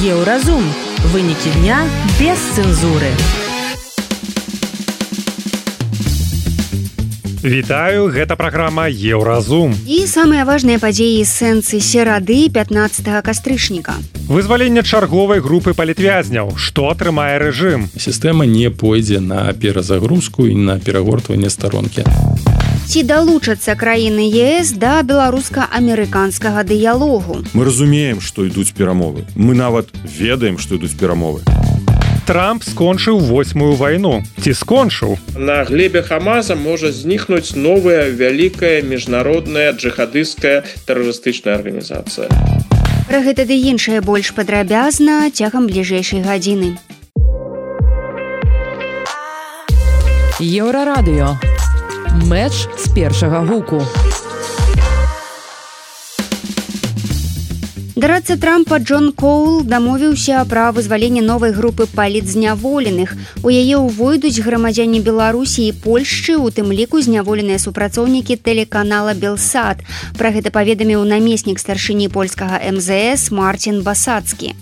Еўразум. Вынікі дня без цэнзуры. Вітаю, гэта праграма Еўразум. І самыя важныя падзеі сэнсы серады 15 кастрычніка. Вызваленне чарговай групы палітвязняў. Што атрымае рэжым? Сістэма не пойдзе на перазагрузку і на перагортванне старонкі. Ці далучацца краіны ЕС да беларуска-амерыканскага дыялогу? Мы разумеем, што ідуць перамовы. Мы нават ведаем, што ідуць перамовы. Трамп скончыў 8-ю вайну. Ці скончыў? На глебе Хамаса можа знікнуць новая вялікая міжнародная джихадысцкая тэрарыстычная арганізацыя. Пра гэта ды іншае больш падрабязна цягам бліжэйшай гадзіны. Еўрарадыё. Мэч з першага гуку. Дарадца Трампа Джон Коул дамовіўся пра вызваленне новай групы палітзняволеных. У яе ўвойдуць грамадзяне Беларусі і Польшчы, у тым ліку зняволеныя супрацоўнікі тэлеканала Белсат. Пра гэта паведаміў намеснік старшыні польскага МЗС Марцін Басацкі.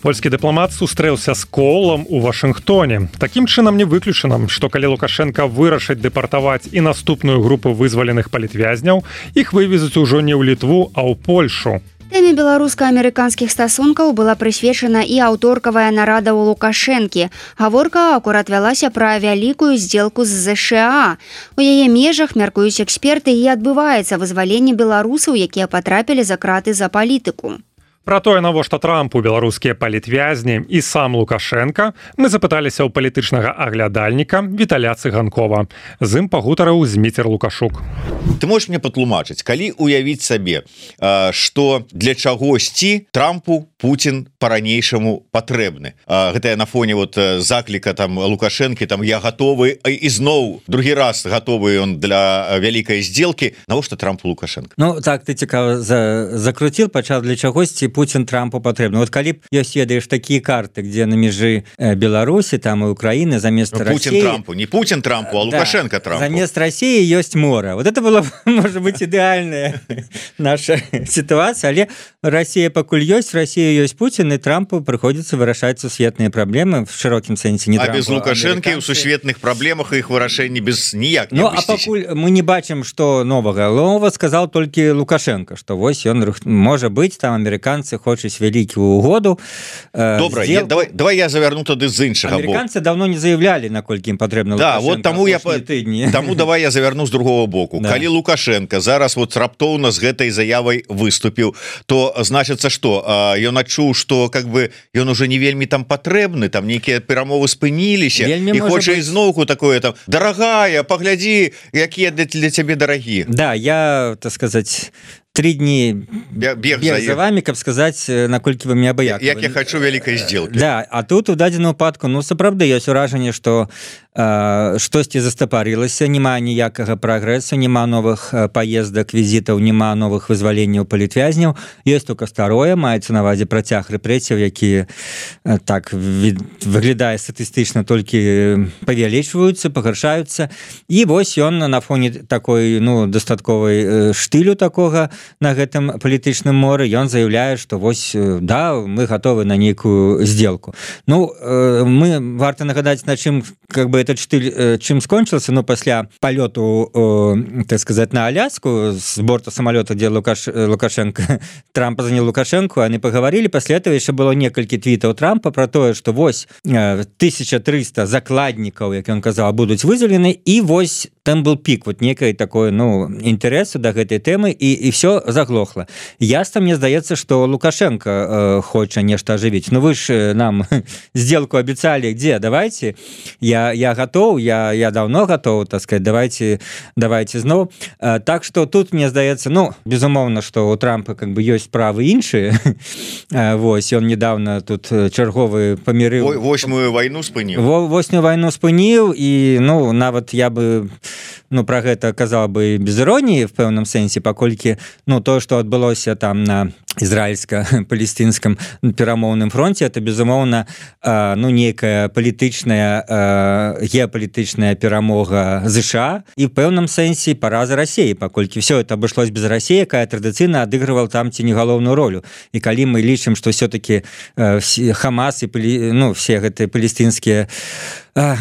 Польскі дыпламат сустрэўся з Коулам у Вашынгтоне. Такім чынам не выключана, што калі Лукашенка вырашыць дэпартаваць і наступную групу вызваленых палітвязняў, іх вывезуць ужо не ў Літву, а ў Польшу. Тэме беларуска-амерыканскіх стасункаў была прысвечана і аўторкавая нарада ў Лукашэнкі. Гаворка акурат вялася пра вялікую здзелку з ЗША. У яе межах, мяркуюць эксперты, і адбываецца вызваленне беларусаў, якія патрапілі за краты за палітыку. Пра тое, навошта Трампу беларускія палітвязні і сам Лукашенка, мы запыталіся ў палітычнага аглядальніка Віталя Цыганкова. З ім пагутарыў Зміцер Лукашук. Ты можаш мне патлумачыць, калі уявіць сабе, што для чагосьці Трампу Путін па-ранейшаму патрэбны. Гэта на фоне закліка Лукашэнкі, я гатовы, і зноў другі раз гатовы ён для вялікай здзелкі. Навошта Трампу Лукашенко? Ну, так, ты цікава закруціл, пачаў для чагосьці Путін Трампу патрэбны. Вот калі б ёсць, ведаеш, такія карты, где на межы Беларусі, там і Украіны, замест России... Путін Трампу, не Путін Трампу, а Лукашенко Трампу. Замест России ёсць море. Вот это была, может быть, идеальная наша ситуация, але Россия пакуль ёсць, Россия ёсць Путін, і Трампу прыходзіцца вырашаць сусветныя праблемы в шырокім сэнсе. Не Трампу, без Лукашэнкі ў сусветных праблемах іх вырашэнні без ніяк не абысціся. А пакуль мы не бачым, што новага. Нова сказал толькі Лукашенко, што вось ён, можа быць, там амерыканцы хочуць вялікую угоду. Добра, давай я завярну тады з іншага боку. Амерыканцы давно не заявлялі, наколькі ім патрэбна Лукашенко. Да, вот таму давай я завярну з другого боку. Да. Калі Лукашенко зараз раптоўна з гэтай заявай выступіў, то значыцца што? Ён адчуў, што ён уже не вельмі там патрэбны, там нейкія перамовы спыніліся, і хоча ізноўку такое там: дарагая, паглядзі, якія для цябе дарагі. Да, я, так сказаць, 3 дні бег за вами, каб сказаць, наколькі вы мне абыякавы. Як я хочу вялікай здзелкі. Да, а тут у дадзеным выпадку, сапраўды ёсць уражанне, што штосьці застапарылася, няма ніякага прагрэсу, няма новых паездак, візітаў, няма новых вызваленняў палітвязняў. Ёсць только старое, маецца на ўвазе працяг рэпрэсіяў, які так выглядае статыстычна, толькі павялічваюцца, пагаршаюцца. І вось ён на фоне такой, дастатковай штылю такога на гэтым палітычным моры, ён заяўляе, што вось, да, мы гатовы на нейкую здзелку. Мы варта нагадаць, на чым этот штыль чым скончыўся, пасля палёту, так сказаць, на Аляску з борта самалёта, дзе Лукашенко, Трампа занял Лукашенко, они паговорили, пасля этого яшчэ было некалькі твітаў Трампа про тое, што вось 1300 закладнікаў, як ён казаў, будуць вызвалены, і вось там был пік некай такой, інтарэсу да гэтай тэмы, і все заглохла. Ясна, мне здаецца, што Лукашенко хоча нешта ажывіць. Вы ж нам сделку обещали, где? Давайте, я готов, я давно готов, так сказать, давайте зноў. Так что тут, мне здаецца, безумоўна, што у Трампа ёсць справы іншыя. Вось, ён недавно тут чарговы памірыў. 8-ю вайну спыніў. 8-ю вайну спыніў, і, нават я бы про гэта казаў бы без іроніі в пэўным сэнсе, паколькі тое, што адбылося там на ізраільска-палестынскім перамоўным фронте, это безумоўна нейкая палітычная геапалітычная перамога ЗША і в пэўным сэнсе параза России, паколькі все это обошлось без России, якая традыцыйна адыгрывала там ці не галоўную ролю. І калі мы лічым, што все-таки Хамас і все гэтыя палестынскія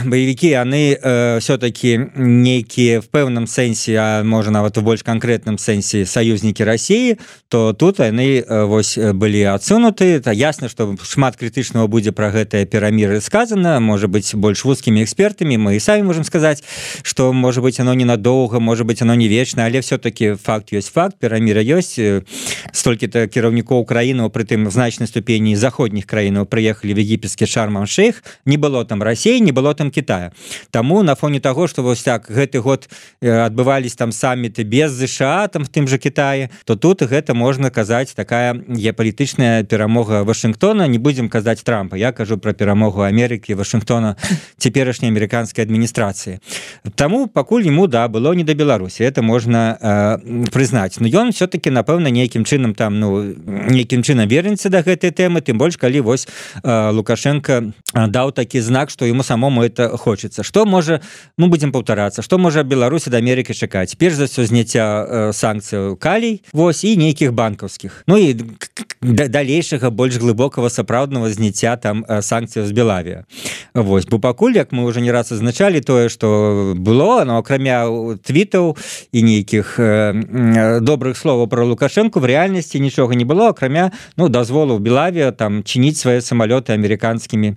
боевики, яны все-таки нейкія в пэўным сэнсе, а можа нават у больш канкрэтным сэнсе саюзнікі России, то тут яны вось былі адсунуты. Ясна, што шмат крытычнага будзе пра гэтае перамір'е сказана, можа быть больш вузкімі экспертамі, мы і самі можем сказаць, што можа быть оно ненадоўга, можа быть оно не вечна, але все-таки факт ёсць факт, перамір'е ёсць. Столькі-то кіраўнікоў краінаў, прытым в значнай ступені заходніх краінаў прыехалі в егіпетскі Шарм-эль-Шейх, не было там России, не было там Китая. Таму на фоне того, што вось так гэты год адбывались там самміты без ЗША там в тым же Китае, то тут гэта можна казаць такая геапалітычная перамога Вашингтона. Не будем казаць Трампа, я кажу про перамогу Амерыкі, Вашингтона, цяперашняй амерыканскай адміністрацыі. Таму пакуль ему было не до Беларусі, это можна прызнаць. Но ён все-таки напэўна нейкім чынам там нейкім чынам вернецца да гэтай тэмы, тым больш калі вось Лукашенко даў такі знак, што ему самому это хочется. Что можа, мы будем паўтарацца, што можа Беларусь ад Амерыкі чакаць? Перш за ўсё зняцця санкцыяў калій, вось, і нейкіх банкаўскіх. Ну і далейшага больш глыбокага сапраўднага зняцця там санкцыяў з Белавія. Вось, бо пакуль, як мы уже не раз азначалі, тое, што было, но акрамя твітаў і нейкіх добрых словаў про Лукашенко, в рэальнасці нічога не было, акрамя дазволу Белавія там чыніць свае самалёты амерыканскімі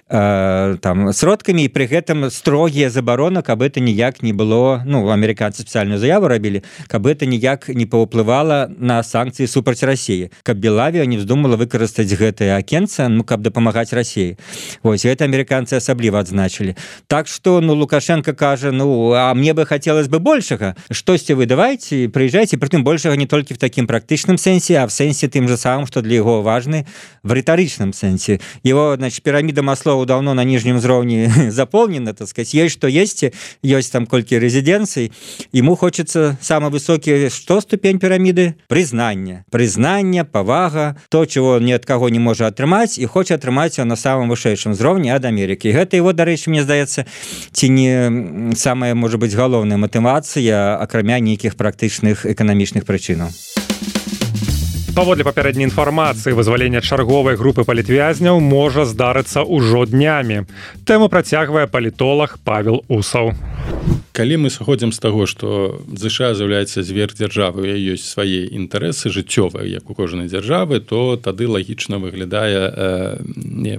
там сродкамі, і пры гэтым строгія забароны, каб это ніяк не было, амерыканцы спецыяльную заяву рабілі, каб это ніяк не паўплывала на санкцыі супраць России, каб Белавія не вздумала выкарыстаць гэтае акенца, каб дапамагаць России. Вось, гэта амерыканцы асабліва адзначылі. Так што, Лукашенко кажа, а мне бы хотелось бы большага. Штосьці вы давайте, прыязджайце, прытым большага не толькі в такім практычным сэнсе, а в сэнсе тым же самым, што для яго важны в рытарычным сэнсе. Его, пирамида Маслоу давно на нижнем уровне заполнена, так сказать, есть что есть там колькі резиденций, ему хочется самый высокий, что ступень пирамиды? Признание, повага, то, чего ни от кого не может атрымаць, и хочет атрымаць на самом вышэйшым уровне ад Америки. Гэта его, дарэчы, мне здаецца, ці не самая, может быть, галоўная мотивация, акрамя нейкіх практычных эканамічных прычынаў. Паводле папярэдняй інфармацыі, вызвалення чарговай групы палітвязняў можа здарыцца ўжо днямі. Тэму працягвае палітолог Павел Усаў. Калі мы сыходзім з таго, што ЗША з'яўляецца зверхдзяржавай, ёсць свае інтарэсы жыццёвыя, як у кожнай дзяржавы, то тады лагічна выглядае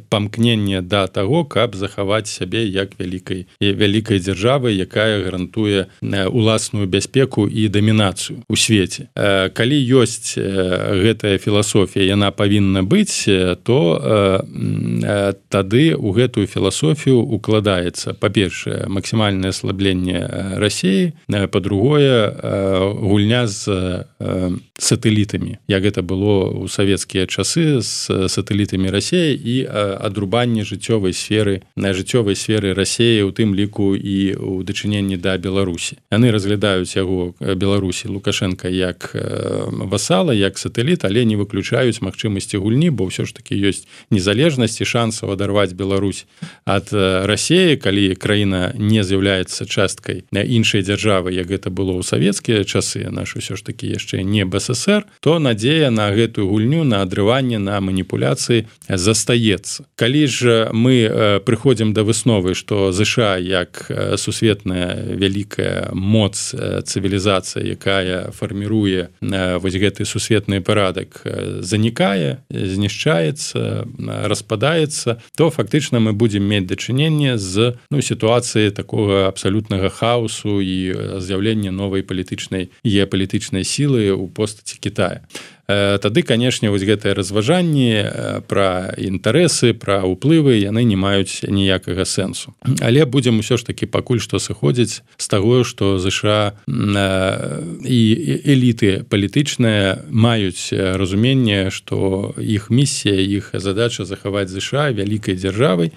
памкненне да таго, каб захаваць сябе як вялікай дзяржавы, якая гарантуе уласную бяспеку і дамінацыю ў свеце. Калі ёсць гэтая філасофія, яна павінна быць, то тады ў гэтую філасофію укладаецца, па-першае, максімальнае аслабленне России, по-другое, гульня з сателлитами, як это было у советскія часы з сателлитами России, і адрубанне жыццёвай сферы России, у тым ліку і у дачыненні да Беларусі. Яны разглядаюць яго Беларусі Лукашенко як васала, як сателлит, але не выключаюць магчымасці гульні, бо ўсё ж таки ёсць незалежнасць і шансаў адарваць Беларусь ад России, калі краіна не з'яўляецца часткай іншай дзяржавы, як гэта было ў савецкія часы, наш усё ж таки яшчэ не БССР, то надзея на гэтую гульню, на адрыванне, на маніпуляцыі застаецца. Калі ж мы прыходзім да высновы, што ЗША як сусветная вялікая моц, цывілізацыя, якая фарміруе вось гэты сусветны парадак, занікае, знішчаецца, распадаецца, то фактычна мы будзем мець дачыненне з сітуацыі такога абсалютнага хаосу і з'яўлення новай геапалітычнай сілы ў постаці Китая. Тады, канешне, вось гэтыя разважанні пра інтарэсы, пра ўплывы, яны не маюць ніякага сэнсу. Але будзем усё ж такі пакуль што сыходзіць з таго, што ЗША і эліты палітычныя маюць разуменне, што іх місія, іх задача захаваць ЗША вялікай дзяржавай,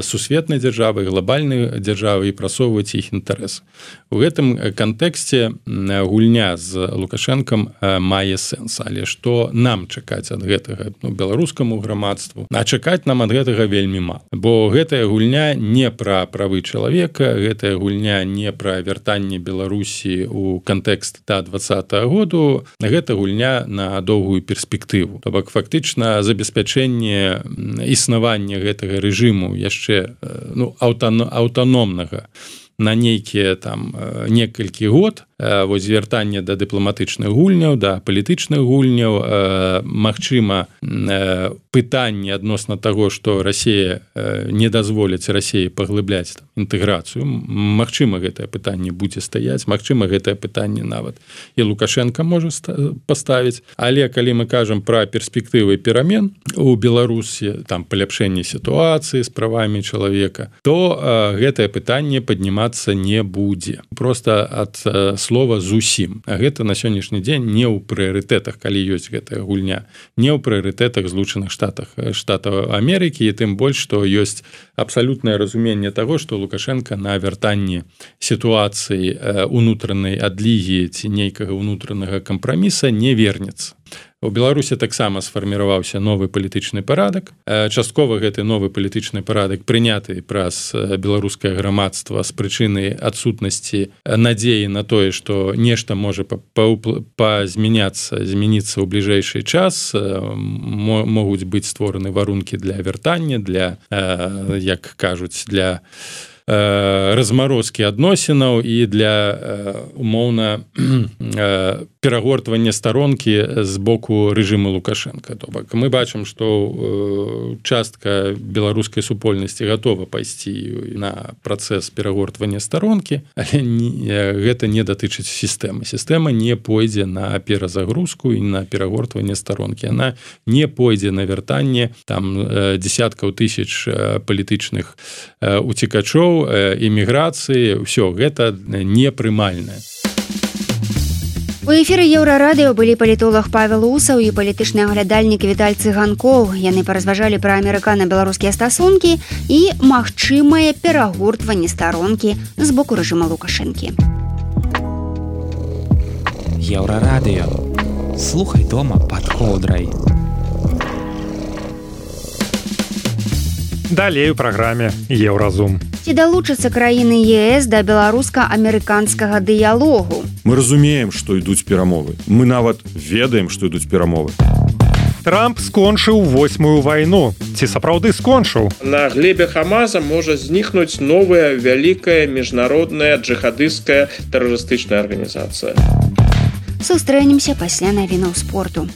сусветнай дзяржавы, глобальнай дзяржавы і прасоўваць іх інтарэсы. У гэтым кантэксце гульня з Лукашэнкам мае сэнс, але што нам чакаць ад гэтага беларускаму грамадству? А чакаць нам ад гэтага вельмі мала. Бо гэтая гульня не пра правы чалавека, гэтая гульня не пра вяртанне Беларусі ў кантэкст да 20-го году, гэта гульня на доўгую перспектыву. То бок фактычна забеспячэнне існавання гэтага рэжыму яшчэ аўтаномнага на нейкія там некалькі год, вось звяртанне да дыпламатычных гульняў, да палітычных гульняў, магчыма, пытанне адносна таго, што Расія не дазволіць Расіі паглыбляць інтэграцыю. Магчыма, гэтае пытанне будзе стаяць, магчыма, гэтае пытанне нават і Лукашенко можа паставіць. Але калі мы кажам пра перспектывы перамен у Беларусі, там паляпшэнне сітуацыі з правамі чалавека, то гэтае пытанне паднімацца не будзе. Проста ад слова зусім. А гэта на сённяшні дзень не ў прыярытэтах, калі ёсць гэтая гульня, не ў прыярытэтах Злучаных Штатаў Амерыкі, і тым больш, што ёсць абсалютнае разуменне таго, што Лукашенко на вяртанні сітуацыі унутранай адлігі ці нейкага унутранага кампраміса не вернецца. У Беларусі таксама сфарміраваўся новы палітычны парадак. Часткова гэты новы палітычны парадак прыняты праз беларускае грамадства з прычыны адсутнасці надзеі на тое, што нешта можа змяніцца ў бліжэйшы час, могуць быць створаны варункі для вяртання, для, як кажуць, для размарозкі адносінаў і для умоўна перагортвання старонкі з боку рэжыму Лукашенка. То бок мы бачым, што частка беларускай супольнасці гатова пайсці на працэс перагортвання старонкі, але гэта не датычыць сістэмы. Сістэма не пойдзе на перазагрузку і на перагортванне старонкі. Яна не пойдзе на вяртанне там дзесяткаў тысяч палітычных уцекачоў, эміграцыі, ўсё гэта непрымальнае. У эфіры Еўрарадыё былі палітолог Павел Усаў і палітычны аглядальнік Віталь Цыганкоў. Яны паразважалі пра амерыкана-беларускія стасункі і магчымае перагортванне старонкі з боку рэжыма Лукашэнкі. Еўрарадыё. Слухай дома пад коўдрай. Далей у праграме Еўразум. Ці далучацца краіны ЕС да беларуска-амерыканскага дыялогу? Мы разумеем, што ідуць перамовы. Мы нават ведаем, што ідуць перамовы. Трамп скончыў 8-ю вайну. Ці сапраўды скончыў? На глебе Хамаза можа знікнуць новая вялікая міжнародная джихадысцкая тэрарыстычная арганізацыя. Сустрэнемся пасля навінаў спорту.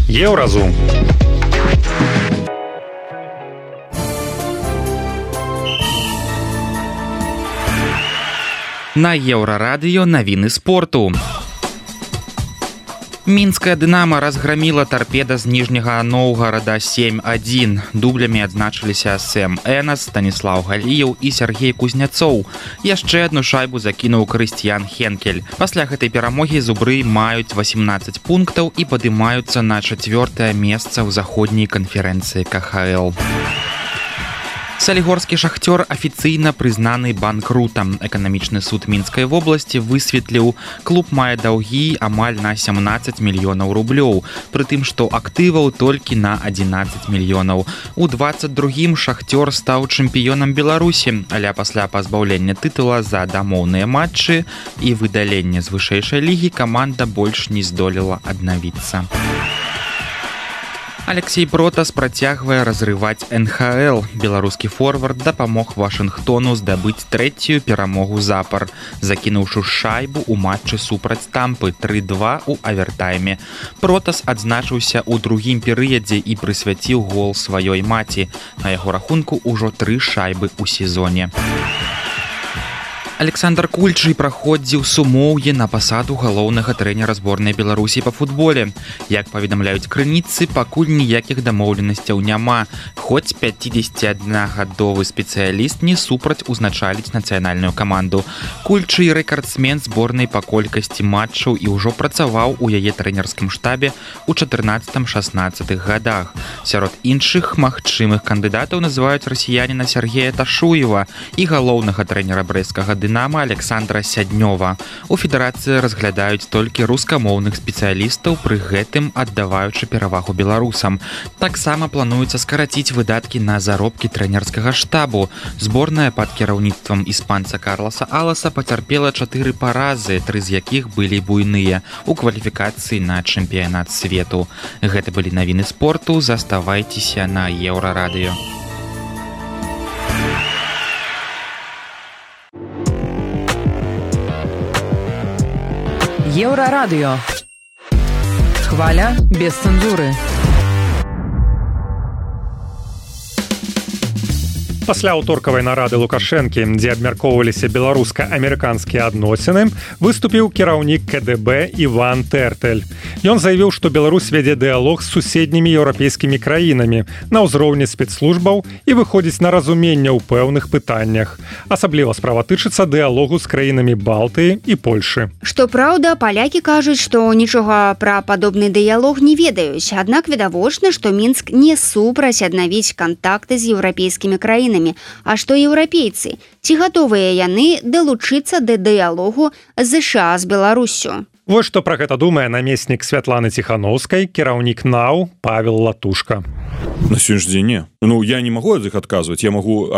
Еўразум. На Еўрарадыё навіны спорту. Мінская «Дынамо» разгромила торпеда з Ніжняга Новгарада 7-1. Дублямі адзначыліся Сэм Энас, Станіслаў Галіеў і Сергей Кузняцоў. Яшчэ адну шайбу закінуў Крыстіян Хенкель. Пасля гэтай перамогі зубры маюць 18 пунктаў і падымаюцца на 4-е месца ў заходняй канферэнцыі КХЛ. Салігорскі «Шахтёр» афіцыйна прызнаны банкрутам. Эканамічны суд Мінскай вобласці высветліў, клуб мае даўгі амаль на 17 мільёнаў рублёў, пры тым, што актываў толькі на 11 мільёнаў. У 22-м «Шахтёр» стаў чэмпіёнам Беларусі, але пасля пазбаўлення тытула за дамоўныя матчы і выдалення з вышэйшай лігі каманда больш не здолела аднавіцца. Алексей Протас працягвае разрываць НХЛ. Беларускі форвард дапамог Вашынгтону здабыць 3-ю перамогу запар, закінуўшы шайбу ў матчы супраць Тампы 3-2 у авертайме. Протас адзначыўся ў другім перыядзе і прысвяціў гол сваёй маці. На яго рахунку ўжо 3 шайбы ў сезоне. Александр Кульчый праходзіў сумоўе на пасаду галоўнага трэнера зборнай Беларусі па футболе. Як паведамляюць крыніцы, пакуль ніякіх дамоўленасцяў няма, хоць 51-гадовы спецыяліст не супраць узначаліць нацыянальную каманду. Кульчый рэкардсмен зборнай па колькасці матчаў і ўжо працаваў у яе трэнерскім штабе ў 14-16 гадах. Сярод іншых магчымых кандыдатаў называюць расіяніна Сергея Ташуева і галоўнага трэнера брэсцкага «Дынама» Александра Сяднёва. У федэрацыі разглядаюць толькі рускамоўных спецыялістаў, пры гэтым аддаваючы перавагу беларусам. Таксама плануецца скараціць выдаткі на заробкі трэнерскага штабу. Зборная пад кіраўніцтвам іспанца Карлоса Аласа пацярпела 4 паразы, 3 з якіх былі буйныя у кваліфікацыі на чэмпіянат свету. Гэта былі навіны спорту. Заставайцеся на Еўрарадыё. Еўрарадыё. Хваля без цэнзуры. Пасля аўторкавай нарады Лукашэнкі, дзе абмяркоўваліся беларуска-амерыканскія адносіны, выступіў кіраўнік КДБ Іван Тэртэль. Ён заявіў, што Беларусь вядзе дыялог з суседнімі еўрапейскімі краінамі на ўзроўні спецслужбаў і выходзіць на разуменне ў пэўных пытаннях. Асабліва справа тычыцца дыялогу з краінамі Балтыі і Польшы. Што праўда, палякі кажуць, што нічога пра падобны дыялог не ведаюць, аднак відавочна, што Мінск не супраць аднавіць кантакты з еўрапейскімі краінамі. А што еўрапейцы? Ці гатовыя яны далучыцца да дыялогу ЗША з Беларуссю? Вось што пра гэта думае намеснік Святланы Ціхановскай, кіраўнік НАУ Павел Латушка. На сегодняшний день не. Ну, я не могу от их отказывать. Я могу,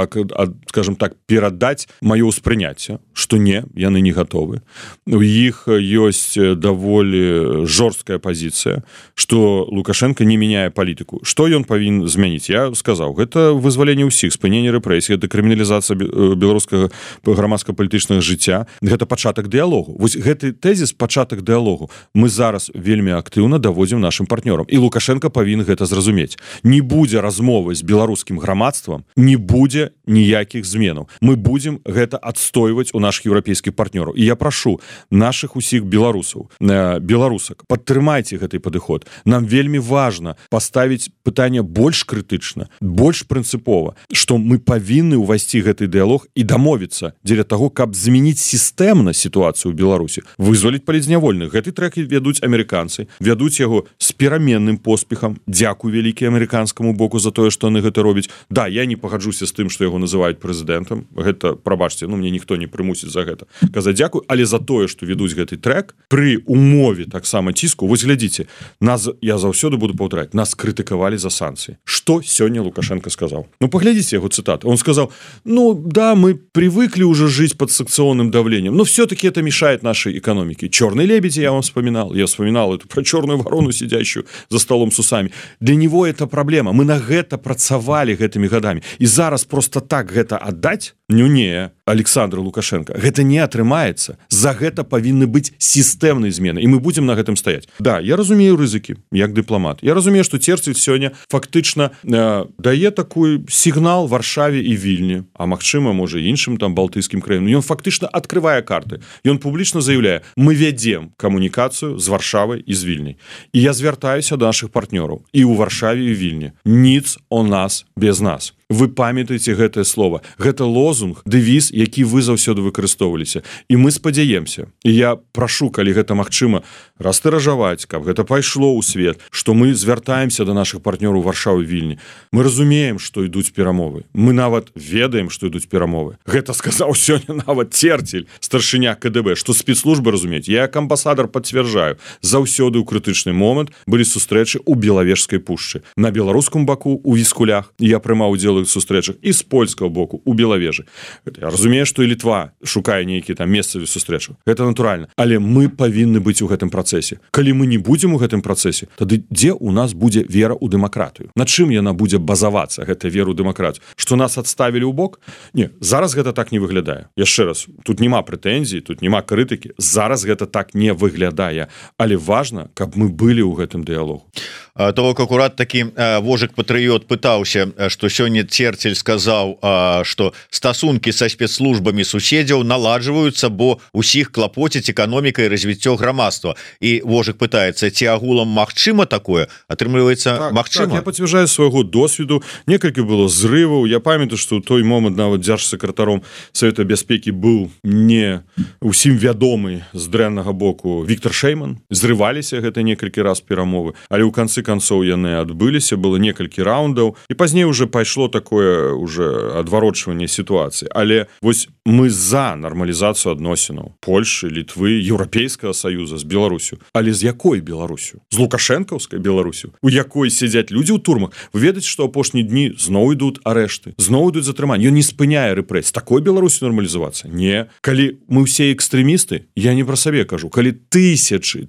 скажем так, передать мое успрыняцце, что не, яны не готовы. У іх есть даволі жорсткая позиция, что Лукашенко не меняе политику. Что ён павінен змяніць? Я сказал, это вызваленне ўсіх, спыненне рэпрэсій, это крыміналізацыя беларускага грамадска-палітычнага жыцця, гэта пачатак дыялогу. Вось гэты тэзіс пачатак дыялогу мы зараз вельмі актыўна даводзім нашим партнёрам. І Лукашенко павінен гэта зразумець. Не будзе размовы з беларускім грамадствам, не будзе ніякіх зменаў. Мы будзем гэта адстойваць у наших еўрапейскіх партнёраў. І я прашу наших усіх беларусаў, беларусак, падтрымайце гэты падыход. Нам вельмі важна паставіць пытанне больш крытычна, больш прынцыпова, што мы павінны ўвайсці гэты дыялог і дамовіцца дзеля таго, каб змяніць сістэмна сітуацыю ў Беларусі, вызваліць палітзнявольных. Гэты трэк вядуць амерыканцы, вядуць яго з пераменным поспехам. Дзякуй вялікі амерыканскаму боку за тое, што яны гэта робяць. Да, я не пагаджуся з тым, што яго называюць прэзідэнтам. Гэта, прабачце, мне ніхто не прымусіць за гэта казаць дзякуй, але за тое, што ведуць гэты трэк пры умове таксама ціску. Вось глядзіце, нас, я заўсёды буду паўтараць, нас крытыкавалі за санкцыі. Што сёння Лукашенко сказаў? Паглядзіце яго цытаты. Он сказал, да, мы привыкли уже жить под санкционным давлением, но все-таки это мешает нашей экономике. Черный лебедь я вам вспоминал. Я вспоминал эту про черную ворону, сидящую за столом с усами. Для него это проблема. Мы на гэта працавалі гэтымі годами. И зараз просто так гэта отдать? Не, Александр Лукашенко. Гэта не атрымаецца. За гэта павінны быць сістэмнай змены. И мы будем на гэтым стаять. Да, я разумею рызыкі, як дыпламат. Я разумею, что Терцель сёння фактычна дае такой сігнал Варшаве і Вільні, а магчыма, можа, іншым там балтыйскім краінам. Ён фактычна адкрывае карты. Ён публічна заяўляе, мы вядзем камунікацыю з Варшавай і з Вільняй. І я звяртаюся да нашых партнёраў і ў Варшаве і Вільні. Ніц о нас без нас. Вы памятаеце гэтае слово. Гэта лозунг, дэвіз, які вы заўсёды выкарыстоўваліся. І мы спадзяемся. І я прашу, калі гэта магчыма, растыражаваць, каб гэта пайшло ў свет, што мы звяртаемся да нашых партнёраў Варшавы і Вільні. Мы разумеем, што ідуць перамовы. Мы нават ведаем, што ідуць перамовы. Гэта сказаў сёння нават Терцель, старшыня КДБ, што спецслужбы разумеюць. Я як амбасадар пацвярджаю, заўсёды ў крытычны момант былі сустрэчы ў Белавежскай пушчы. На беларускім баку у Віскулях я прымаў удзел у сустрэчах і з польскага боку у Белавежы. Я разумею, што і Літва шукае нейкі там месцаві сустрэчу. Гэта натуральна. Але мы павінны быць у гэтым працэсе. Калі мы не будзем у гэтым працэсе, тады дзе ў нас будзе вера ў дэмакратыю? На чым яна будзе базавацца, гэта вера ў дэмакратыю? Што нас адставілі ў бок? Не, зараз гэта так не выглядае. Яшчэ раз, тут няма прэтэнзій, тут няма крытыкі. Зараз гэта так не выглядае. Але важна, каб мы былі ў гэтым дыялогу. то акурат такі вожык патрыёт пытаўся, што сёння Церцель сказаў, што стасункі са спецслужбамі суседзяў наладжваюцца, бо ўсіх клапоціць эканоміка і развіццё грамадства. І вожык пытаецца, ці агулам магчыма такое? Атрымліваецца, магчыма. Я пацвярджаю свайго досведу. Некалькі было зрываў. Я памятаю, што ў той момант нават дзяржсакратаром Савета бяспекі быў не ўсім вядомы з дрэннага боку Віктор Шэйман. Зрываліся гэта некалькі раз перамовы, але ў канцы канцоў яны адбыліся, было некалькі раундаў, і пазней уже пайшло такое уже адварочванне сітуацыі. Але вось мы за нармалізацыю адносінаў Польшы, Літвы, Еўрапейскага Саюза з Беларусю. Але з якой Беларусю? З лукашэнкаўскай Беларусю, у якой сядзяць людзі ў турмах. Вы ведаеце, што апошнія дні зноў ідуць арэшты, зноў ідуць затрыманні. Ён не спыняе рэпрэсій. Такой Беларусю нармалізавацца? Не. Калі мы ўсе экстрэмісты, я не пра сабе кажу, калі тысячы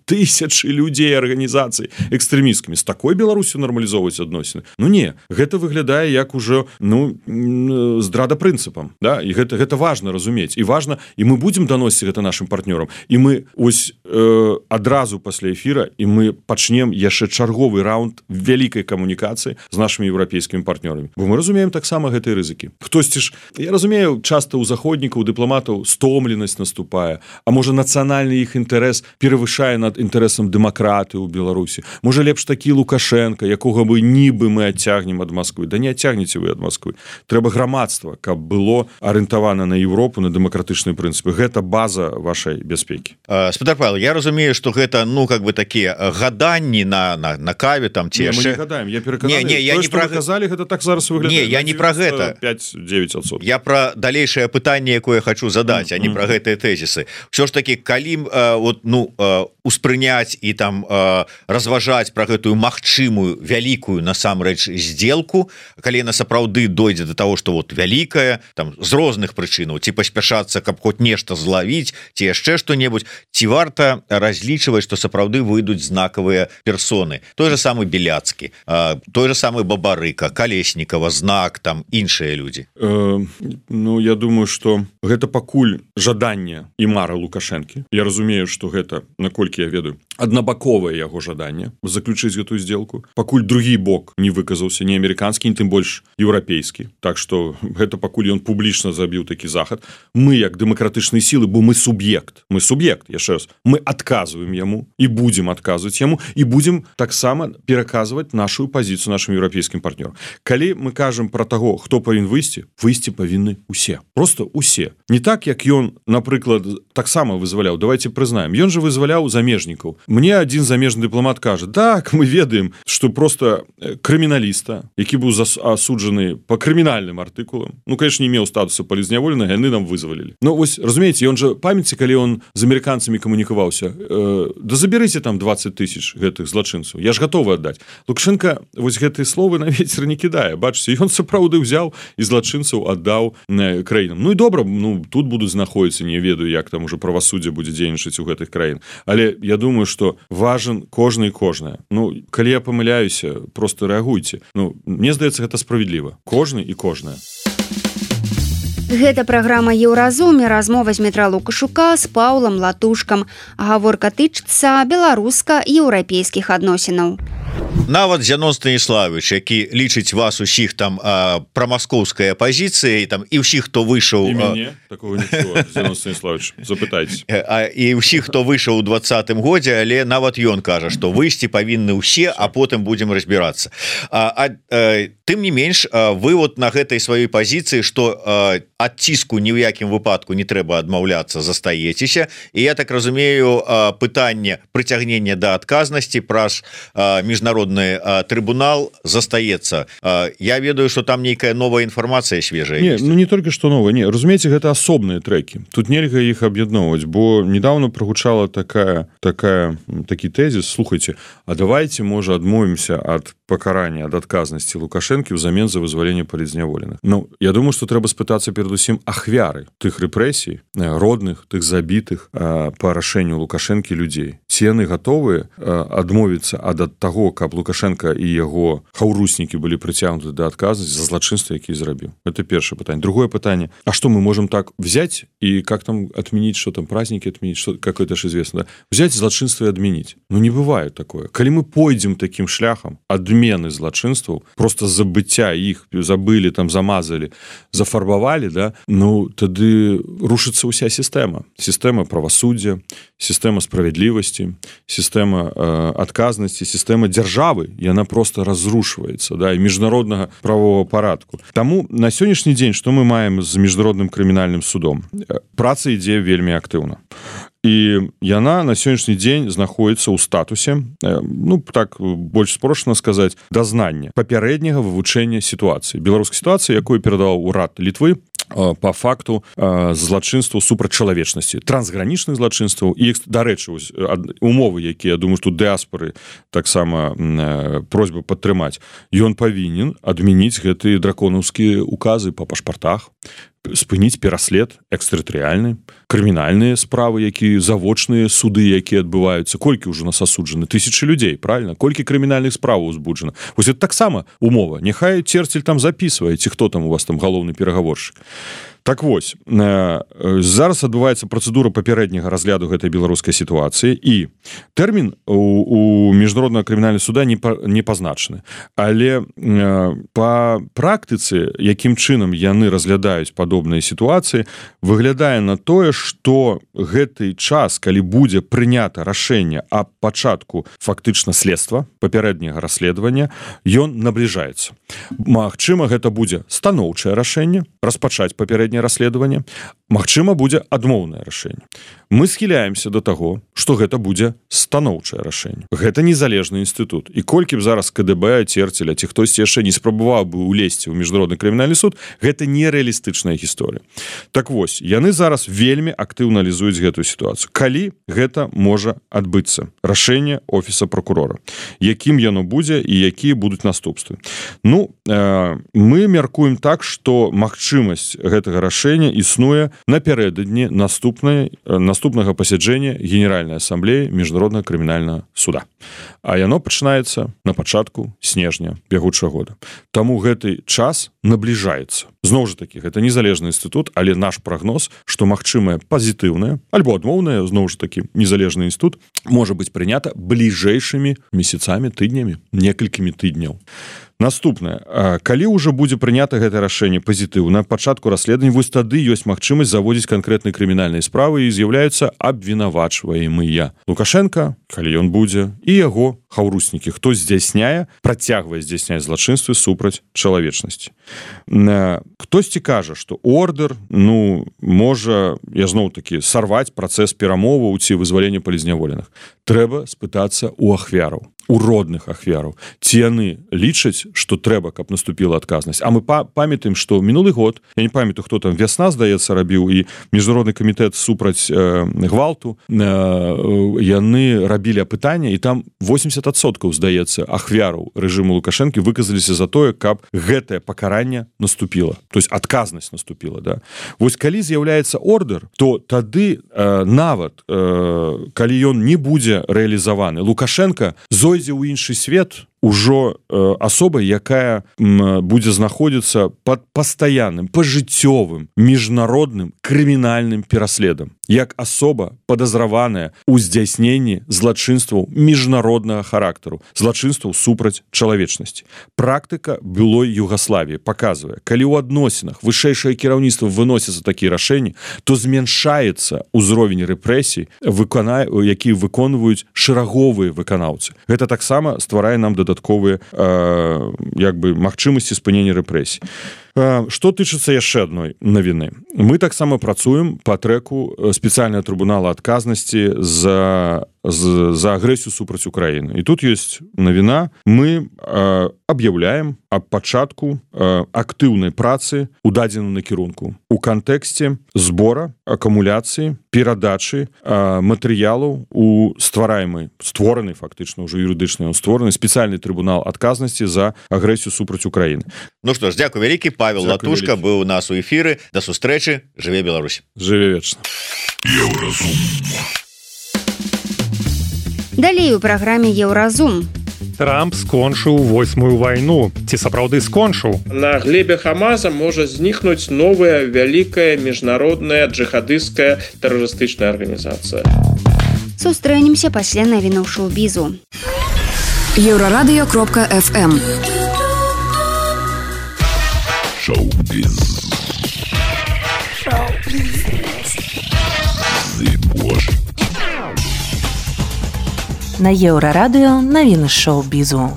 людзей, арганізацый экстрэмісткамі, з такой Беларусю нармалізоўваць адносіны? Ну не, гэта выглядае як ужо здрада прынцыпам, да? І гэта важна разумець, і важна, і мы будзем даносіць гэта нашим партнёрам, і мы ось адразу пасля эфіра, і мы пачнем яшчэ чарговы раунд вялікай камунікацыі з нашымі еўрапейскімі партнёрамі, бо мы разумеем таксама гэтыя рызыкі. Хтосьці ж, я разумею, часта ў заходнікаў, дыпламатаў стомленасць наступае, а можа нацыянальны іх інтарэс перавышае над інтарэсам дэмакраты ў Беларусі. Можа лепш такі Лукашенко, якога бы нібы мы адцягнем ад Масквы. Да не адцягнеце вы ад Масквы. Трэба грамадства, каб было арыентавана на Еўропу, на дэмакратычныя прынцыпы. Гэта база вашай бяспекі. Спадар Павел, я разумею, што гэта такія гаданні на каве там ці яшчэ. Мы не гадаем, я перакананы. Я не пра казалі, гэта так зараз выглядае. Не, я не пра гэта. 5-9%. Я пра далейшае пытанне, якое хочу задаць, а не пра гэтыя тэзісы. Ўсё ж такі, калі успрыняць і там разважаць пра гэтую магчымую вялікую насамрэч сделку, калі яна сапраўды дойдзе до того, што вялікая там з розных прычынаў, ці паспяшацца, каб хоць нешта злавіць, ці яшчэ што-небудзь, ці варта разлічваць, што сапраўды выйдуць знакавыя персоны. Той же самы Беляцкі, той же самы Бабарыка, Калеснікава, Знак, там іншыя людзі. Я думаю, што гэта пакуль жаданне і мара Лукашэнкі. Я разумею, што гэта, наколькі я ведаю, аднабаковае яго жаданне заключыць гэтую сделку. Пакуль другі бок не выказаўся, не амерыканскі, не тым больш еўрапейскі. Так што гэта пакуль ён публічна забіў такі захад. Мы, як дэмакратычныя сілы, бо мы суб'ект, яшчэ раз, мы адказваем яму і будзем адказваць яму, і будзем таксама пераказваць нашу пазіцыю нашым еўрапейскім партнёрам. Калі мы кажам пра таго, хто павінен выйсці павінны усе. Просто усе. Не так, як ён, напрыклад, таксама вызваляў. Давайте прызнаем. Ён же вызваляў замежнікаў. Мне адзін замежны дыпламат кажа, так, мы ведаем, што просто крыміналіста, які быў асуджаны па крымінальным артыкулам, конечно, не меў статуса палізняволенага, яны нам вызвалілі. Вось, разумееце, ён же, памяці, калі он з амерыканцамі камунікаваўся, да забярыце там 20 000 гэтых злачынцаў. Я ж гатовы аддаць. Лукашенко вось гэтыя словы на вецер не кідае. Бачыце, ён сапраўды ўзяў і злачынцаў аддаў краінам. Ну і добра, тут будуць знаходзіцца, не ведаю, як там уже правасуддзе будзе дзейнічаць у гэтых краін. Але я думаю, што важен кожны і кожная. Калі я памыляюся, просто рэагуйце. Мне здаецца, гэта справедліва. Кожны і кожная. Гэта праграма «Еўразум» і размова з Дмітра Лукашука з Паўлам Латушкам. Гаворка тычыцца беларуска-еўрапейскіх адносінаў. Нават Зянон Станіславович, які лічыць вас усіх там прамаскоўскай апазіцыяй і ўсіх, хто выйшаў... І мяне такого нічого, Зянон Станіславович, запытайце. І ўсіх, хто выйшаў у 20-м годзе, але нават ён кажа, што выйсці павінны ўсе, а потым будзем разбірацца. Тым не менш, вы на гэтай сваёй пазіцыі, што ад ціску ні ў якім выпадку не трэба адмаўляцца, застаецеся. І я так разумею, пытанне прыцягнення да адказнасці праз міжнародны трыбунал застаецца. Я ведаю, што там нейкая новая інфармацыя свежая. Не толькі што новая, не. Разумееце, гэта асобныя трэкі. Тут нельга іх аб'ядноўваць, бо недавно прагучала такі тэзіс. Слухайце, а давайте, можа, адмовімся ад пакарання, ад адказнасці Лукашэнкі ўзамен за вызваленне палізняволеных. Я думаю, што трэба спытацца перадусім ахвяры тых рэпрэсій, родных, тых забітых па рашэнню Лукашэнкі людзей. ці яны гатовыя адмовіцца ад таго, каб Лукашенко і яго хаўруснікі былі прыцягнуты да адказнасці за злачынства, які зрабіў. Это першае пытанне. Другое пытанне: а что мы можем так взять и как там отменить, что там праздники отменить, что какое-то же известно, да? Взять злачынства и отменить. Ну не бывает такое. Калі мы пойдем таким шляхам адмены злачынстваў, просто забыцця іх забылі, там замазали, зафарбавалі, да, ну тады рушыцца ўся сістэма правасуддзя, сістэма справядлівасці, сістэма адказнасці, сістэма дзяржавы, яна просто разрушваецца, да, і міжнароднага правового парадку. Таму на сённяшні дзень што мы маем з міжнародным крымінальным судом? Праца ідзе вельмі актыўна. І яна на сённяшні дзень знаходіцца ў статусе, ну так больш спрошана сказаць, дазнання папярэдняга вывучэння сітуацыі, беларускай сітуацыі, якую перадаваў урад Літвы по факту злачынстваў супраць чалавечнасці, трансгранічных злачынстваў і, дарэчы, умовы, якія, я думаю, што дыаспоры таксама просьба падтрымаць, ён павінен адмяніць гэтыя драконаўскія указы па пашпартах, спыніць пераслед экстэрытарыяльны, крымінальныя справы, якія завочныя суды, якія адбываюцца. Колькі ўжо нас асуджаны? Тысячы людзей, правильно? Колькі крымінальных справаў узбуджана? Вось это таксама умова. Няхай Церцель там запісвае, ці хто там у вас там галоўны перагаворшчык. Так вось, зараз адбываецца працэдура папярэдняга разгляду гэтай беларускай сітуацыі, і тэрмін у міжнароднага крымінальнага суда не пазначаны. Але па практыцы, якім чынам яны разглядаюць падобныя сітуацыі, выглядае на тое, што гэты час, калі будзе прынята рашэнне аб пачатку фактычна следства, папярэдняга расследавання, ён набліжаецца. Магчыма, гэта будзе станоўчае рашэнне, распачаць папярэдняе расследаванне, магчыма, будзе адмоўнае рашэнне. Мы схіляемся да таго, што гэта будзе станоўчае рашэнне. Гэта незалежны інстытут. І колькі б зараз КДБ, Церцеля, ці хтосьці яшчэ не спрабаваў бы ўлезці ў міжнародны крымінальны суд, гэта нерэалістычная гісторыя. Так вось, яны зараз вельмі актыўна аналізуюць гэтую сітуацыю. Калі гэта можа адбыцца? Рашэнне офіса прокурора. Якім яно будзе і якія будуць наступствы? Ну, мы мяркуем так, што магчымасць гэтага рашэння існуе напярэдадні наступнага пасяджэння Генеральнай асамблеі міжнароднага крымінальнага суда. А яно пачынаецца на пачатку снежня бягучага года. Таму гэты час набліжаецца. Зноў жа такі, гэта незалежны інстытут, але наш прагноз, што магчымае пазітыўнае альбо адмоўнае, зноў жа такі, незалежны інстытут можа быць прынята бліжэйшымі месяцамі, тыднямі, некалькімі тыдняў. Наступнае, калі ўжо будзе прынята гэтае рашэнне пазітыўна, пачатку расследавання, вось тады ёсць магчымасць заводзіць канкрэтныя крымінальныя справы і з'яўляюцца абвінавачваемыя. Лукашенко, калі ён будзе, і яго хаўруснікі, хто працягвае здзяйсняць злачынствы супраць чалавечнасці. Хтосьці кажа, што ордэр, можа, я зноў-такі, сарваць працэс перамоваў ці вызвалення палізняволеных. Трэба спытацца ў ахвяраў, у родных ахвяраў. Ці яны лічаць, што трэба, каб наступіла адказнасць. А мы памятаем, што мінулы год, я не памятаю, хто там, Вясна, здаецца, рабіў, і Міжнародны камітэт супраць гвалту, яны рабілі апытанне, і там 80%, здаецца, ахвяраў рэжыму Лукашэнкі выказаліся за тое, каб гэтае пакаранне наступіла. То есть адказнасць наступіла, да. Вось калі з'яўляецца ордэр, то тады нават, калі ён не будзе рэалізаваны, Лукашенко зойдзе ў іншы свет ужо асобай, якая будзе знаходзіцца пад пастаянным, пажыццёвым, міжнародным крымінальным пераследам, як асоба падазраваная ў здзяйсненні злачынстваў міжнароднага характару, злачынстваў супраць чалавечнасці. Практыка былой Югаславіі паказвае, калі ў адносінах вышэйшае кіраўніцтва выносіцца такія рашэнні, то змяншаецца ўзровень рэпрэсій, які выконваюць шэраговыя выканаўцы. Гэта таксама стварае нам дадатковыя магчымасці спынення рэпрэсій. Што тычыцца яшчэ адной навіны. Мы таксама працуем па трэку спецыяльнага трыбунала адказнасці за агрэсію супраць Украіны. І тут ёсць навіна. Мы аб'яўляем аб пачатку актыўнай працы ў дадзеным накірунку у кантэксце збора, акумуляцыі, перадачы матэрыялаў у створаны фактычна ўжо юрыдычна створаны спецыяльны трыбунал адказнасці за агрэсію супраць Украіны. Ну што ж, дзякуй вялікі. Павел Латушка быў у нас у эфіры. Да сустрэчы. Жыве Беларусь. Жыве вечна. Далей у праграме Еўразум. Трамп скончыў 8-ю вайну. Ці сапраўды скончыў? На глебе Хамаса можа знікнуць новая вялікая міжнародная джихадысцкая тэрарыстычная арганізацыя. Сустрэнемся пасля навінаў шоу-бізу. Еўрарадыё.фм Шоу-біз. На Еўрарадыё навіны шоу-бізу.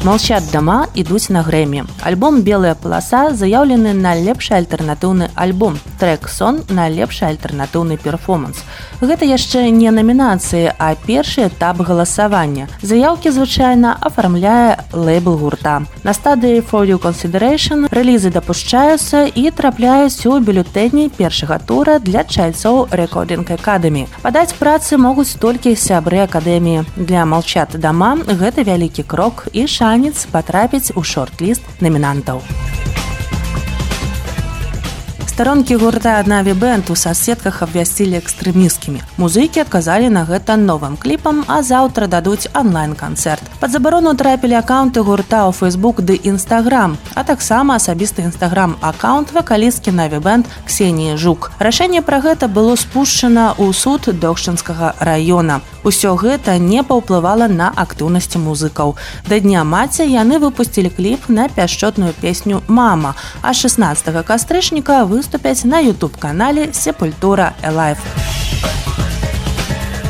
Молчат дома, ідуць на грэмі. Альбом «Белая паласа» заяўлены на лепшы альтэрнатыўны альбом. Трек «Сон» на лепшы альтэрнатыўны перформанс. Гэта яшчэ не намінацыі, а першы этап галасавання. Заяўкі звычайна афармляе лэйбл гурта. На стадыі «For Your Consideration» рэлізы дапушчаюцца і трапляюць у бюлетэні першага тура для чальцоў Recording Academy. Падаць працы могуць толькі сябры акадэміі. Для «Молчат дома» гэта вялікі крок і шанец патрапіць у шорт-ліст намінантаў. Старонкі гурта «Наві Бэнд» у соцсетках абвясцілі экстрэмісткімі. Музыкі адказалі на гэта новым кліпам, а заўтра дадуць онлайн-канцэрт. Пад забарону трапілі акаунты гурта ў Facebook ды Instagram, а таксама асабісты Instagram-акаунт вакалісткі «Наві Бэнд» Ксеніі Жук. Рашэнне пра гэта было спушчана ў суд Дохчынскага раёна. Усё гэта не паўплывала на актыўнасці музыкаў. Да Дня маці яны выпусцілі кліп на пяшчотную песню «Мама», а 16 кастрычніка выступяць на YouTube-канале «Сепультура Элайв».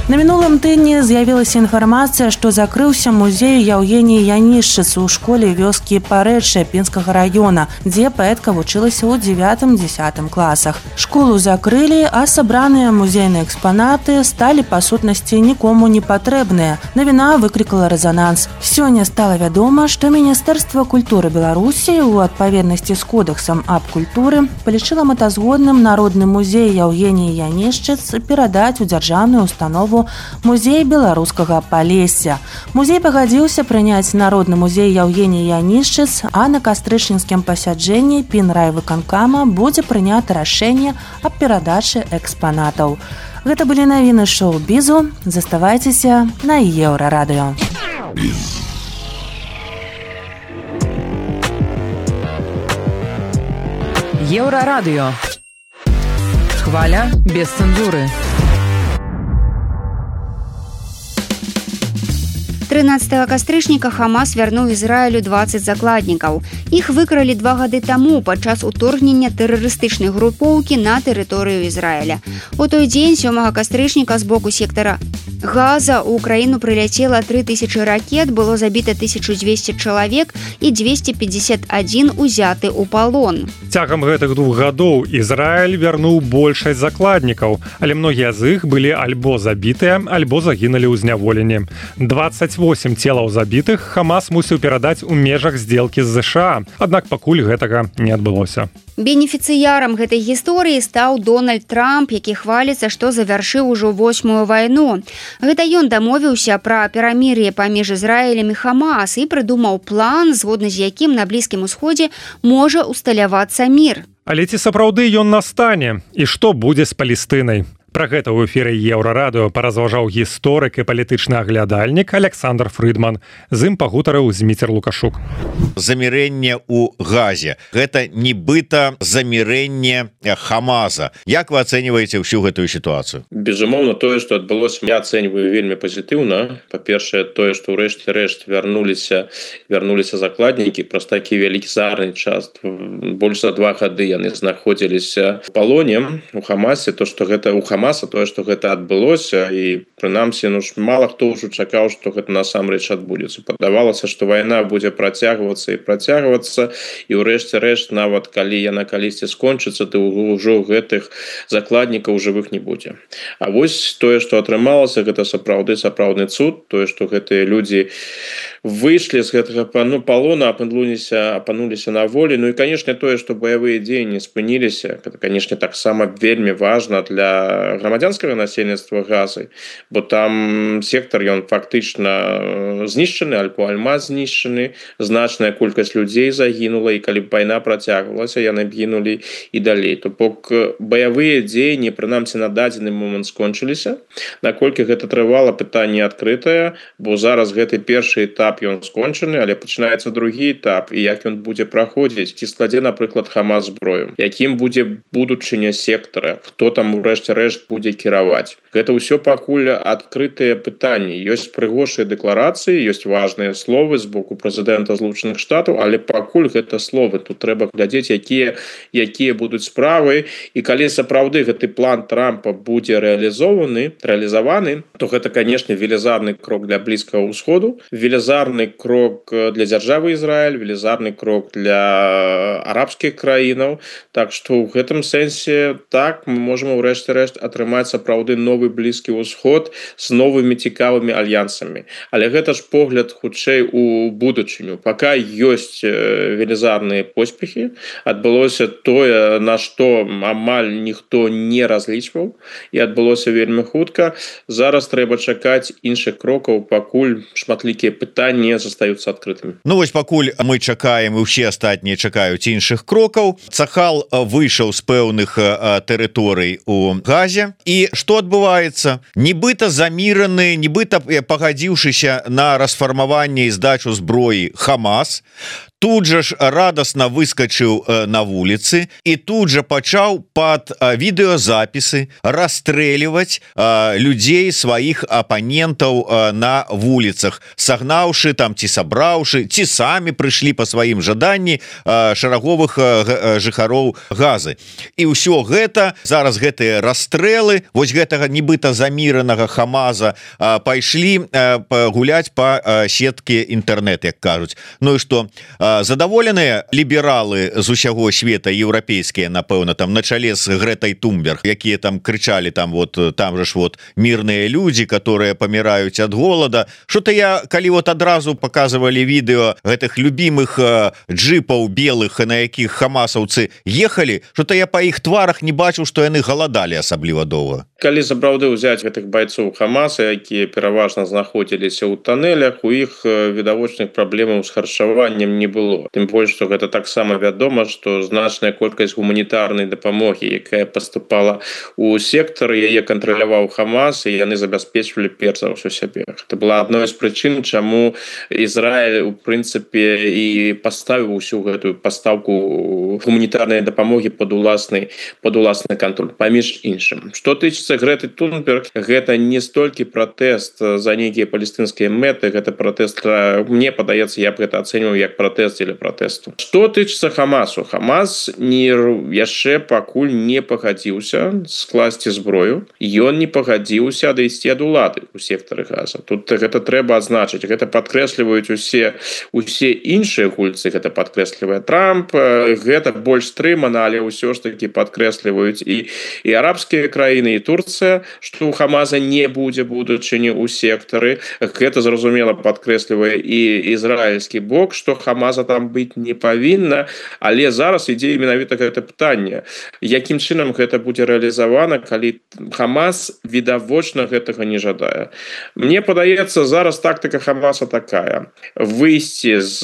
На мінулым тыдні з'явілася інфармацыя, што закрыўся музей Яўгеніі Янішчыц у школе вёскі Парэчча Пінскага раёна, дзе паэтка вучылася ў 9-10 класах. Школу закрылі, а сабраныя музейныя экспанаты сталі па сутнасці нікому не патрэбныя. Навіна выклікала рэзананс. Сёння стала вядома, што Міністэрства культуры Беларусі у адпаведнасці з кодэксам аб культуры палічыла мэтазгодным народны музей Яўгеніі Янішчыц перадаць у дзяржаўную установу музей беларускага Палесся. Музей пагадзіўся прыняць народны музей Яўгеніі Янішчыц, а на кастрычніцкім пасяджэнні Пінрайвыканкама будзе прынята рашэнне аб перадачы экспанатаў. Гэта былі навіны шоу-бізу. Заставайцеся на Еўрарадыё. Еўрарадыё. Хваля без цэнзуры. 13 кастрычніка Хамас вярнуў Ізраілю 20 закладнікаў. Іх выкралі 2 гады таму падчас уторгнення тэрарыстычнай групоўкі на тэрыторыю Ізраіля. У той дзень 7 кастрычніка з боку сектара Газа ў краіну прыляцела 3000 ракет, было забіта 1200 чалавек і 251 узяты ў палон. Цягам гэтых 2 гадоў Ізраіль вярнуў большасць закладнікаў, але многія з іх былі альбо забітыя, альбо загінулі ў зняволенні. 28 целаў забітых Хамас мусіў перадаць у межах здзелкі з ЗША, аднак пакуль гэтага не адбылося. Бенефіцыярам гэтай гісторыі стаў Дональд Трамп, які хваліцца, што завяршыў ужо 8-ю вайну. Гэта ён дамовіўся пра перамір'е паміж Ізраілем і Хамас і прыдумаў план, згодна з якім на Блізкім усходзе можа усталявацца мір. Але ці сапраўды ён настане? І што будзе з Палестынай? Пра гэта ў эфіры Еўрарадыё паразважаў гісторык і палітычны аглядальнік Александр Фрыдман. З ім пагутарыў Зміцер Лукашук. Замірэнне ў Газе. Гэта нібыта замірэнне Хамаса. Як вы ацэньваеце ўсю гэтую сітуацыю? Безумоўна, тое, што адбылося, я ацэньваю вельмі пазітыўна. Па-першае, тое, што ў рэшце-рэшт вярнуліся закладнікі праз такі велізарны час. Больш за 2 гады яны знаходзіліся ў палоне у Хамасе. То, што гэта ў Хамаса, тое, што гэта адбылося, і прынамсі, мала хто ўжо чакаў, што гэта насамрэч адбудзецца. Падавалася, што вайна будзе працягвацца, і ўрэшце-рэшт, нават калі яна калісьці скончыцца, то ўжо гэтых закладнікаў жывых не будзе. А вось тое, што атрымалася, гэта сапраўдны цуд, тое, што гэтыя людзі выйшлі з гэтага палона, апынуліся на волі. Ну і, канешне, тое, што баявыя дзеянні спыніліся, гэта, канешне, таксама вельмі важна для для грамадзянскага насельніцтва Газы, бо там сектар ён фактычна знішчаны, Аль-Пуальмаз знішчаны, значная колькасць людзей загінула, і калі б вайна працягвалася, яны б гінулі і далей. То бок баявыя дзеянні прынамсі на дадзены момант скончыліся. Наколькі гэта трывала, пытанне адкрытае, бо зараз гэты першы этап ён скончаны, але пачынаецца другі этап, і як ён будзе праходзіць, ці складзе, напрыклад, Хамас зброю, якім будзе будучыня сектара, хто там у рэшце рэшт будзе кіраваць. Гэта ўсё пакуль адкрытыя пытанні. Ёсць прыгожыя дэкларацыі, ёсць важныя словы з боку прэзідэнта Злучаных Штатаў, але пакуль гэта словы. Тут трэба глядзець, якія будуць справы, і калі сапраўды гэты план Трампа будзе рэалізаваны, то гэта, канешне, велізарны крок для Блізкага ўсходу, велізарны крок для дзяржавы Ізраіль, велізарны крок для арабскіх краінаў. Так што ў гэтым сэнсе так мы можам у рэшце рэшт атрымаць сапраўды новы Блізкі ўсход з новымі цікавымі альянсамі. Але гэта ж погляд хутчэй у будучыню. Пака ёсць велізарныя поспехі, адбылося тое, на што амаль ніхто не разлічваў, і адбылося вельмі хутка. Зараз трэба чакаць іншых крокаў, пакуль шматлікія пытанні застаюцца адкрытымі. Ну вось пакуль мы чакаем, і ўсе астатнія чакаюць іншых крокаў, Цахал выйшаў з пэўных тэрыторый у Газе, і што адбываецца? Нібыта заміраны, нібыта пагадзіўшыся на расфармаванне і здачу зброі Хамас, тут жа ж радасна выскочыў на вуліцы і тут жа пачаў пад відэазапісы расстрэльваць людзей, сваіх апанентаў на вуліцах, сагнаўшы там ці сабраўшы, ці самі прыйшлі па сваім жаданні шараговых жыхароў Газы. І ўсё гэта, зараз гэтыя расстрэлы вось гэтага нібыта заміранага Хамаза пайшлі гуляць па сеткі інтэрнэт, як кажуць. Ну і што, задаволеныя лібералы з усяго света, еўрапейскія, напэўна, там на чале з Грэтай Тунберг, якія там крычалі, там же ж мірныя людзі, которые паміраюць ад голода. Што-то я, калі адразу паказвалі відэо гэтых любімых джипаў белых, на якіх хамасаўцы ехалі, што-то я па іх тварах не бачыў, што яны галадалі асабліва доўга. Калі сапраўды ўзяць гэтых байцоў Хамаса, якія пераважна знаходзіліся ў туннелях, у іх відавочных праблемаў з харчаваннем не было. Тым больш, што гэта таксама вядома, што значная колькасць гуманітарнай дапамогі, якая паступала ў сектар, яе кантраляваў Хамас, і яны забяспечвалі перш за ўсё сябе. Гэта была адной з прычын, чаму Ізраіль, у прынцыпе, і паставіў усю гэтую пастаўку гуманітарнай дапамогі пад уласны кантроль, паміж іншым. Што тычыцца Грэты Тунберг, гэта не столькі пратэст за нейкія палестынскія мэты, гэта пратэст, мне падаецца, я б гэта ацэньваў як пратэст дзеля пратэсту. Што тычыцца Хамасу? Хамас яшчэ пакуль не пагадзіўся скласці зброю, ён не пагадзіўся адысці ад улады ў сектары Газа. Тут гэта трэба адзначыць, гэта падкрэсліваюць усе іншыя гульцы, гэта падкрэслівае Трамп, гэта больш стрымана, але ўсё ж такі падкрэсліваюць і арабскія краіны, і Турцыя, што ў Хамаза не будзе будучыні ў сектары. Гэта зразумела падкрэслівае і ізраільскі бок, што Хамаза там быць не павінна, але зараз ідзе менавіта гэта пытанне. Якім чынам гэта будзе рэалізавана, калі Хамас відавочна гэтага не жадае? Мне падаецца, зараз тактыка Хамаса такая: выйсці з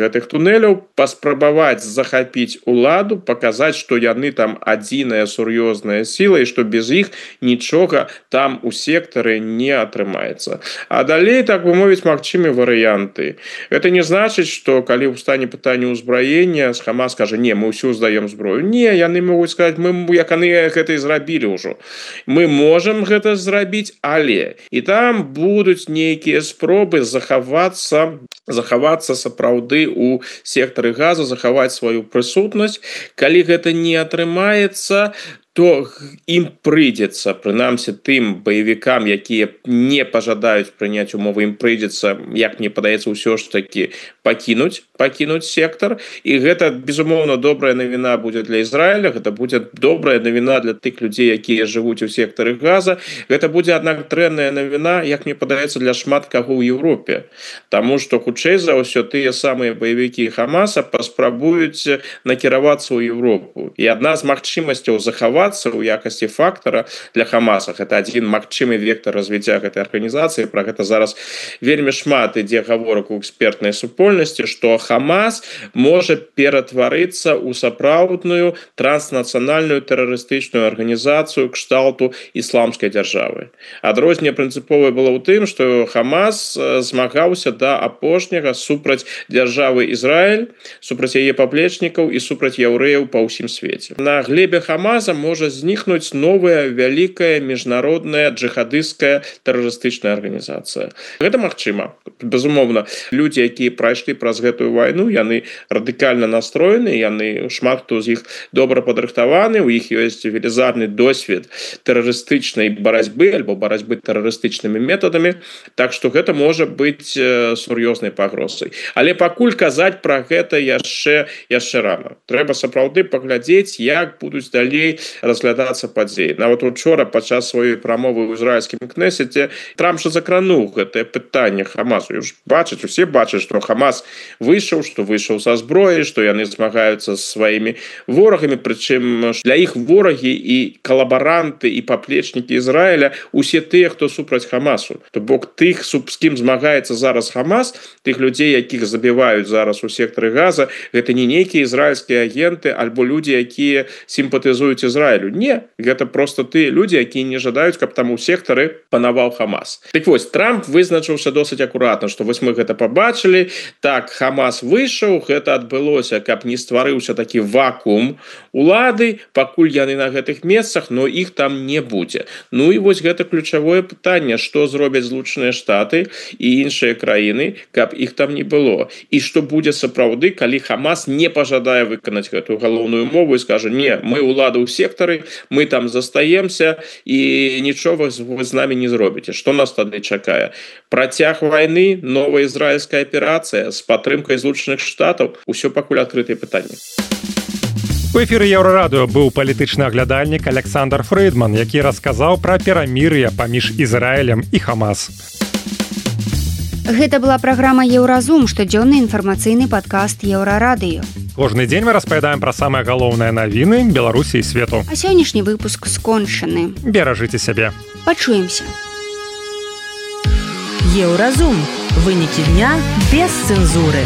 гэтых туннеляў, паспрабаваць захапіць уладу, паказаць, што яны там адзіная сур'ёзная сіла і што без іх нічога там у сектары не атрымаецца. А далей, так бы мовіць, магчымы варыянты. Гэта не значыць, што калі ў стане пытання ўзбраення, Хамас кажа: не, мы ўсю здаем зброю. Не, яны могуць сказаць, мы, як яны гэта і зрабілі ўжо. Мы можам гэта зрабіць, але і там будуць нейкія спробы захавацца сапраўды ў сектары Газа, захаваць сваю прысутнасць. Калі гэта не атрымаецца, то ім прыйдзецца, прынамсі тым баевікам, якія не пажадаюць прыняць умовы, ім прыйдзецца, як мне падаецца, ўсё ж такі пакінуць сектар. І гэта, безумоўна, добрая навіна будзе для Ізраіля, гэта будзе добрая навіна для тых людзей, якія жывуць у сектары Газа. Гэта будзе, аднак, дрэнная навіна, як мне падаецца, для шмат каго ў Еўропе. Таму што, хутчэй за ўсё, тыя самыя баевікі Хамаса паспрабуюць накіравацца ў Еўропу. І адна з магчымасцяў захаваць актывавацца ў якасці фактара для Хамаса. Гэта адзін магчымы вектор развіцця гэтай арганізацыі. Пра гэта зараз вельмі шмат ідзе гаворак у экспертнай супольнасці, што Хамас можа ператварыцца ў сапраўдную транснацыянальную тэрарыстычную арганізацыю кшталту ісламскай дзяржавы. Адрозненне прынцыповае было ў тым, што Хамас змагаўся да апошняга супраць дзяржавы Ізраіль, супраць яе паплечнікаў і супраць яўрэяў па ўсім свеце. На глебе Хамаса можа знікнуць новая вялікая міжнародная джихадысцкая тэрарыстычная арганізацыя. Гэта магчыма. Безумоўна, людзі, якія прайшлі праз гэтую вайну, яны радыкальна настроены, яны шмат хто з іх добра падрыхтаваны, у іх ёсць велізарны досвед тэрарыстычнай барацьбы альбо барацьбы тэрарыстычнымі метадамі, так што гэта можа быць сур'ёзнай пагрозай. Але пакуль казаць пра гэта яшчэ рана. Трэба сапраўды паглядзець, як будуць далей разглядацца падзеі. Нават учора падчас сваёй прамовы ў ізраільскім кнесеце Трамп жа закрануў гэтае пытанне Хамасу. Усе бачаць, што Хамас выйшаў, што выйшаў са зброі, што яны змагаюцца з сваімі ворагамі, прычым для іх ворагі і калабаранты і паплечнікі Ізраіля усе тыя, хто супраць Хамасу. То бок тых, з кім змагаецца зараз Хамас, тых людзей, якіх забіваюць зараз у сектары Газа, гэта не нейкія ізраільскія агенты альбо людзі, якія сімпатызуюць Ізраілю. Не, гэта проста тыя людзі, якія не жадаюць, каб там у сектары панаваў Хамас. Так вось, Трамп вызначыўся досыць акуратна, што вось мы гэта пабачылі, так, Хамас выйшаў, гэта адбылося, каб не стварыўся такі вакуум улады, пакуль яны на гэтых месцах, но іх там не будзе. Ну і вось гэта ключавое пытанне, што зробяць Злучаныя Штаты і іншыя краіны, каб іх там не было. І што будзе сапраўды, калі Хамас не пажадае выканаць гэтую галоўную умову і скажа: не, мы ўлада ў сектары, мы там застаемся і нічога вы з намі не зробіце. Што нас тады чакае? Працяг вайны, новая ізраільская аперацыя з падтрымкай Злучаных Штатаў? Усё пакуль адкрытыя пытанні. У эфіры Еўрарадыё быў палітычны аглядальнік Александр Фрыдман, які расказаў пра перамір'е паміж Ізраілем і Хамас. Гэта была праграма «Еўразум», штодзённы інфармацыйны падкаст Еўрарадыё. Кожны дзень мы распавядаем пра самыя галоўныя навіны Беларусі і свету. А сённяшні выпуск скончаны. Беражыце сябе. Пачуемся. Еўразум. Вынікі дня без цэнзуры.